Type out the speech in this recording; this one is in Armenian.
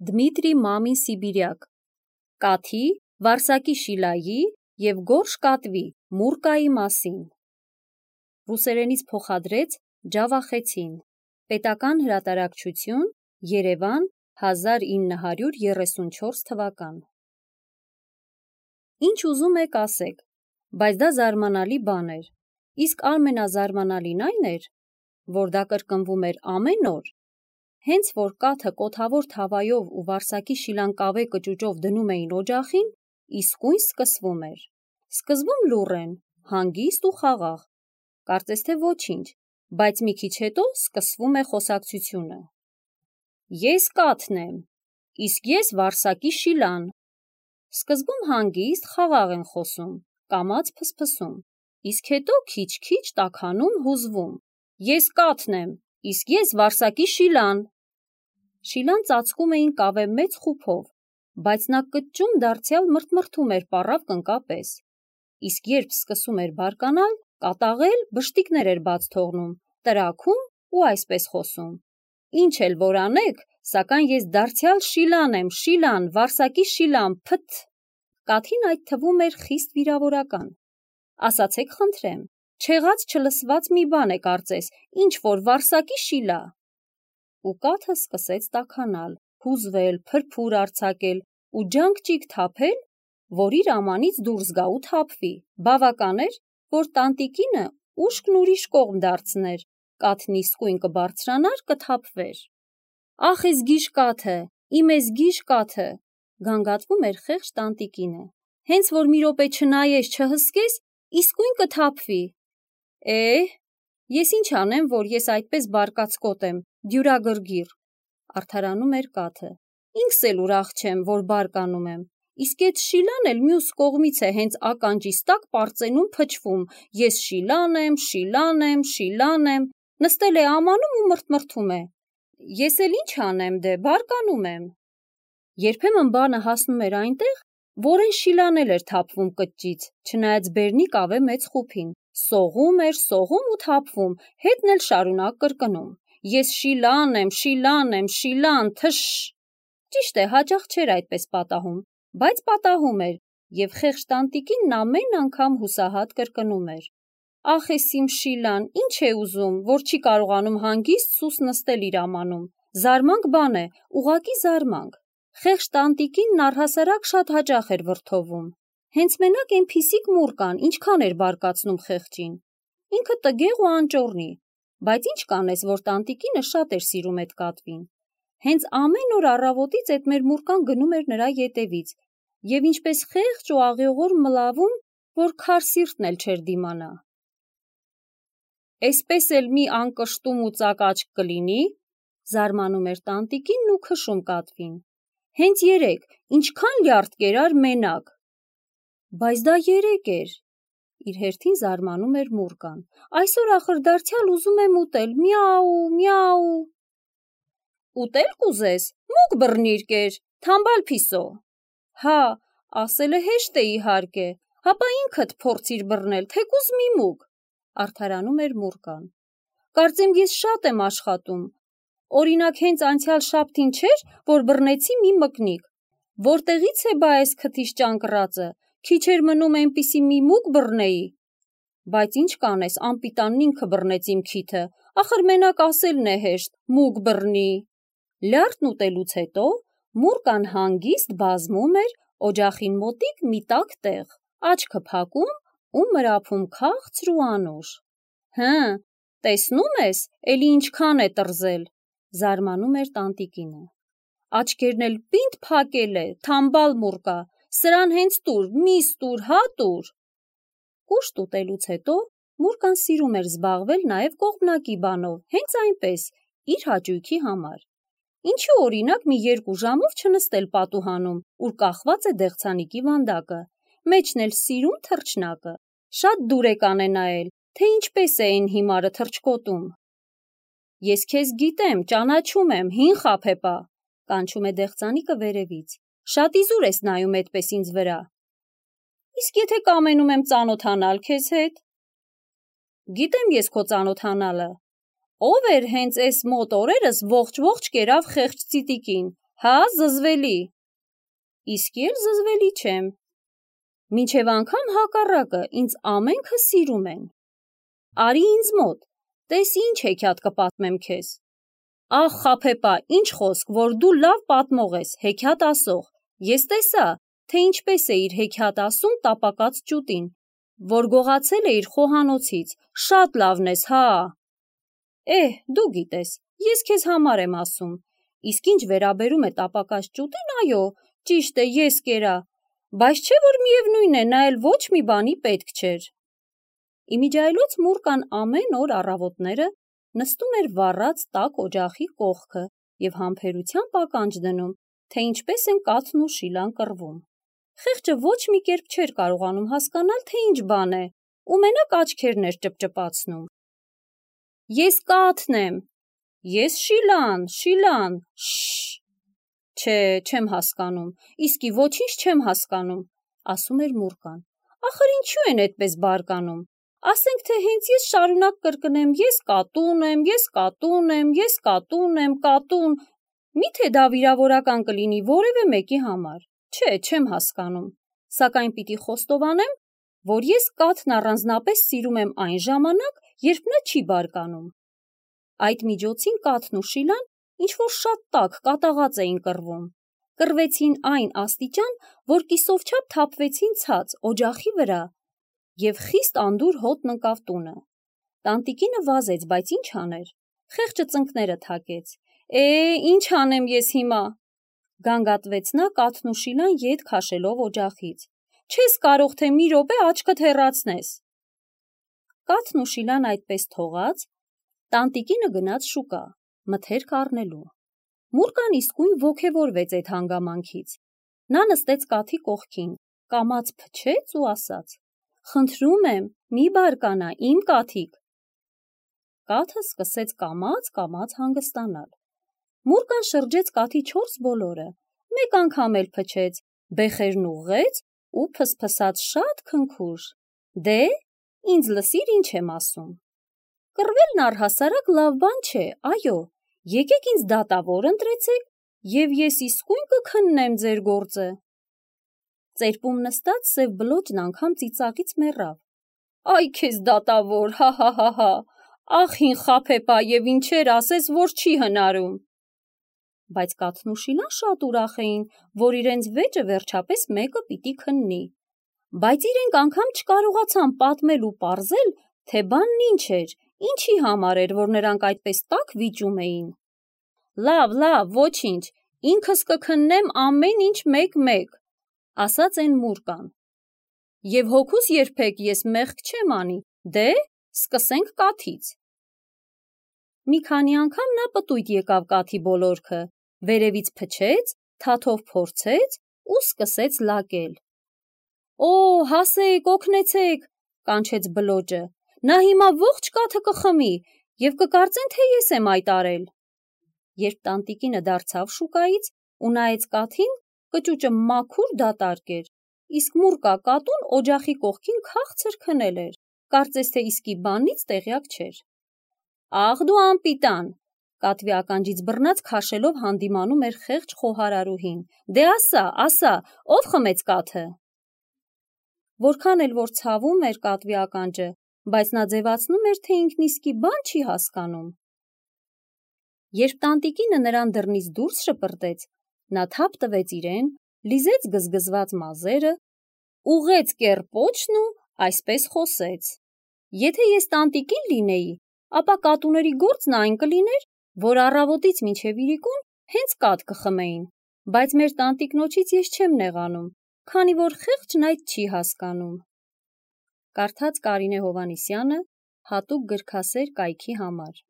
Դմիտրի Մամին Սիբիրյակ, Կաթի, Վարսակի Շիլայի և Գորշ Կատվի Մուրկայի մասին։ Ռուսերենից փոխադրեց Ջավախեցին։ Պետական հրատարակչություն, Երևան, 1934 թվական։ Ինչ ուզում եք ասեք, բայց դա զարմանալի բան էր, իսկ ամենազարմանալին այն էր, որ դա կրկնվում էր ամեն օր, հենց որ կաթը կոթավոր թավայով ու Վարսակի Շիլան կավե կճուճով դնում էին օջախին, իսկույն սկսվում էր։ Սկզբում լուռ են, հանգիստ ու խաղաղ, կարծես թե ոչինչ, բայց մի քիչ հետո սկսվում է խոսակցությունը։ Ես կաթն եմ, իսկ ես Վարսակի Շիլան։ Սկզբում հանգիստ, խաղաղ են խոսում, կամաց փսփսում, իսկ հետո քիչ-քիչ տաքանում, հուզվում։ Ես կաթն եմ, իսկ ես Վարսակի Շիլան։ Շիլան ծածկում էին կավե մեծ խուփով, բայց նա կճճում դարձյալ մրթմրթում էր պառավ կնկապես, իսկ երբ սկսում էր բարկանալ, կատաղել, բշտիկներ էր բաց թողնում, տրաքում ու այսպես խոսում. Ինչ էլ որ անեք, սակայն ես դարձյալ Շիլան եմ, Շիլան, Վարսակի Շիլան, փթ։ Կաթին այդ թվում էր խիստ վիրավորական։ Ասացեք խնդրեմ, չեղած չլսված մի բան է կարծես, ինչ որ Վարսակի Շիլա։ Ու կաթը սկսեց տաքանալ, հուզվել, փրփուր արձակել ու ջանք-ճիգ թափել, որ իր ամանից դուրս գա ու թափվի։ Բավական էր, որ տանտիկինը ուշքն ուրիշ կողմ դարձներ, կաթն իսկույն կբարձրանար, կթափվեր։ Ախ էս գիժ կաթը, իմ էս գիժ կաթը, գանգատվում էր խեղճ տանտիկինը։ Հենց որ մի րոպե չնայես, չհսկես, իսկույն կթափվի։ Ես ինչ անեմ, որ ես այդպես բարկացկոտ եմ, դյուրագրգիռ, արդարանում էր կաթը։ Ինքս էլ ուրախ չեմ, որ բարկանում եմ, իսկ էդ Շիլան էլ մյուս կողմից է հենց ականջիս տակ պարծենում փչվում. ես Շիլան եմ, Շիլան եմ, Շիլան եմ, նստել է ամանում ու մրթմրթում է։ Ես էլ ինչ անեմ, դե բարկանում եմ։ Երբեմն բանը հասնում էր այնտեղ, որ այն Շիլան էլ էր թափվում կճճից, չնայած բերնի կավե մեծ խուփին, սողում էր, սողում ու թափվում, հետն էլ շարունակ կրկնում. ես Շիլան եմ, Շիլան եմ, Շիլան, թշ։ Ճիշտ է, հաճախ չէր այդպես պատահում, բայց պատահում էր, և խեղճ տանտիկինն ամեն անգամ հուսահատ կրկնում էր. ախ էս իմ Շիլան, ինչ է ուզում, որ չի կարողանում հանգիստ սուս նստել իր ամանում։ Զարմանք բան է, ուղղակի զարմանք։ Խեղճ տանտիկինն առհասարակ շատ հաճախ էր վրդովում։ Հենց մենակ էնփիսիկ մուրկան ինչքան էր բարկացնում խեղճին։ Ինքը տգեղ ու անճոռնի, բայց ինչ կանես, որ տանտիկինը շատ էր սիրում էդ կատվին։ Հենց ամեն օր առավոտից էդ մեր մուրկան գնում էր նրա ետևից, և ինչպես խեղճ ու աղեղոր մլավում, որ քար սիրտն էլ չէր դիմանա։ Էսպես էլ մի անկշտում ու ծակաճք կլինի, զարմանում էր տանտիկինն ու քշում կատվին։ Հենց երեկ, ինչքան լյարդ կերար մենակ։ Բայց դա երեկ էր, իր հերթին զարմանում էր մուրկան։ Այսօր ախր դարձյալ ուզում եմ ուտել, միաու, միաու։ Ուտել կուզես, մուկ բռնիր կեր, թամբալ փիսո։ Հա, ասելը հեշտ է իհարկե, հապա ինքդ փորձիր բռնել, թեկուզ մի մուկ, արդարանում էր մուրկան։ Կարծեմ ես շատ եմ աշխատում։ Օրինակ հենց անցյալ շաբթին չէր, որ բռնեցի մի մկնիկ։ Որտեղից է բա այս քթիս ճանկռածը, քիչ էր մնում այնպիսի մի մուկ բռնեի։ Բայց ինչ կանես, անպիտանն ինքը բռնեց իմ քիթը, ախր մենակ ասելն է հեշտ, մուկ բռնի։ Լյարդն ուտելուց հետո մուրկան հանգիստ բազմում էր օջախին մոտիկ մի տաք տեղ, աչքը փակում ու մրափում քաղցր ու անուշ։ Տեսնում ես, էլի ինչքան է տրզել, զարմանում էր տանտիկինը։ Աչքերն էլ պինդ փակել է, թամբալ մուրկա, սրան հենց տուր, միս տուր, հա տուր։ Կուշտ ուտելուց հետո մուրկան սիրում էր զբաղվել նաև կողմնակի բանով, հենց այնպես, իր հաճույքի համար։ Ինչու օրինակ մի 2 ժամով չնստել պատուհանում, ուր կախված է դեղցանիկի վանդակը, մեջն էլ սիրուն թռչնակը, շատ դուր է կանենայել, թե ինչպես է այն հիմարը թռչկոտում։ Ես քեզ գիտեմ, ճանաչում եմ, հին խաբեբա, կանչում է դեղցանիկը վերևից, շատ իզուր ես նայում այդպես ինձ վրա։ Իսկ եթե կամենում եմ ծանոթանալ քեզ հետ։ Գիտեմ ես քո ծանոթանալը։ Ով էր հենց էս մոտ օրերս ողջ կերավ խեղճ ծիտիկին, Հա, զզվելի։ Իսկ էլ զզվելի չեմ։ Մինչև անգամ հակառակը, ինձ ամենքը սիրում են։ Արի ինձ մոտ, տես ինչ հեքիաթ կպատմեմ քեզ։ Ախ, խաբեբա, ինչ խոսք, որ դու լավ պատմող ես, հեքիաթ ասող։ Ես տեսա, թե ինչպես է իր հեքիաթ ասում տապակած ճուտին, որ գողացել է իր խոհանոցից, շատ լավն ես, հա։ Դու գիտես, ես քեզ համար եմ ասում, իսկ ինչ վերաբերում է տապակած ճուտին, այո, ճիշտ է, ես կերա, բայց չէ որ միևնույն է, նա էլ ոչ մի բանի պետք չէր։ Իմիջայլոց Մուրկան ամեն օր առավոտները նստում էր վառած տաք օջախի կողքը և համբերությամբ ականջ դնում, թե ինչպես են կաթն ու շիլան կռվում։ Խեղճը ոչ մի կերպ չէր կարողանում հասկանալ, թե ինչ բան է, ու մենակ աչքերն էր ճպճպացնում։ Ես կաթն եմ, ես շիլան, Չէ, չեմ հասկանում, իսկի ոչինչ չեմ հասկանում, ասում էր Մուրկան։ Ախր ինչու են այդպես բարկանում։ Ասենք թե հենց ես շարունակ կրկնեմ, ես կատուն եմ, ես կատուն եմ, ես կատուն եմ, կատուն, միթե դա վիրավորական կլինի որևէ մեկի համար։ Չէ, չեմ հասկանում, սակայն պիտի խոստովանեմ, որ ես կաթն առանձնապես սիրում եմ այն ժամանակ, երբ նա չի բարկանում։ Այդ միջոցին կաթն ու շիլան ինչ-որ շատ տաք կատաղած էին կռվում։ Կռվեցին այն աստիճան, որ կիսով չափ թափվեցին ցած օջախի վրա, և խիստ անդուր հոտն ընկավ տունը։ Տանտիկինը վազեց, բայց ինչ աներ։ Խեղճը ծնկները թակեց։ Ինչ անեմ ես հիմա։ Գանգատվեց նա կաթն ու շիլան ետ քաշելով օջախից։ Չես կարող թե մի րոպե աչքդ հեռացնես։ Կաթն ու շիլան այդպես թողած, տանտիկինը գնաց շուկա, մթերք առնելու։ Մուրկան իսկույն ոգևորվեց այդ հանգամանքից։ Նա նստեց կաթի կողքին, կամաց փչեց ու ասաց. «Խնդրում եմ, մի բարկանա, իմ կաթիկ»։ Կաթը սկսեց կամաց հանգստանալ։ Մուրկան շրջեց կաթի 4 բոլորը, մեկ անգամ էլ փչեց, բեխերն ուղղեց ու փսփսաց շատ քնքուշ. «Դե, ինձ լսիր ինչ եմ ասում։ Կռվելն առհասարակ լավ բան չէ, այո, եկեք ինձ դատավոր ընտրեցեք, և ես իսկույն կքննեմ ձեր գործը»։ Ծերպում նստած սև բլոճն անգամ ծիծաղից մեռավ։ Այ քեզ դատավոր, հա, ախ հին խաբեբա, և ինչեր ասես, որ չի հնարում։ Բայց կաթն ու շիլան շատ ուրախ էին, որ իրենց վեճը վերջապես մեկը պիտի քննի։ Բայց իրենք անգամ չկարողացան պատմել ու պարզել, թե բանն ինչ էր, ինչի համար էր, որ նրանք այդպես տաք վիճում էին։ Լավ, ոչինչ, ինքս կքննեմ ամեն ինչ մեկ-մեկ, ասաց են Մուրկան։ Եվ հոգուս երբեք ես մեղք չեմ անի, դե, սկսենք կաթից։ Մի քանի անգամ նա պտույտ եկավ կաթի բոլորքը, վերևից փչեց, թաթով փորձեց ու սկսեց լակել։ Հասեք, օգնեցեք, կանչեց բլոճը, նա հիմա ողջ կաթը կխմի և կկարծեն, թե ես եմ այդ արել։ Երբ տանտիկինը դարձավ շուկայից ու նայեց կաթին, կճուճը մաքուր դատարկ էր, իսկ Մուրկա կատուն օջախի կողքին քաղցր քնել էր, կարծես թե իսկի բանից տեղյակ չէր։ Ախ դու անպիտան, կատվի ականջից բռնած քաշելով հանդիմանում էր խեղճ խոհարարուհին։ Դե ասա, ով խմեց կաթը։ Որքան էլ որ ցավում էր կատվի ականջը, բայց նա ձևացնում էր, թե ինքն իսկի բան չի հասկանում։ Երբ տանտիկինը նրան դռնից դուրս շպրտեց, նա թափ տվեց իրեն, լիզեց գզգզված մազերը, ուղղեց կեռ-պոչն ու այսպես խոսեց. Եթե ես տանտիկին լինեի, ապա կատուների գործն այն կլիներ, որ առավոտից մինչև իրիկուն հենց կաթ կխմեին, բայց մեր տանտիկնոջից ես չեմ նեղանում, քանի որ խեղճն այդ չի հասկանում։ Կարդաց Կարինե Հովհաննիսյանը հատուկ գրքասեր կայքի համար։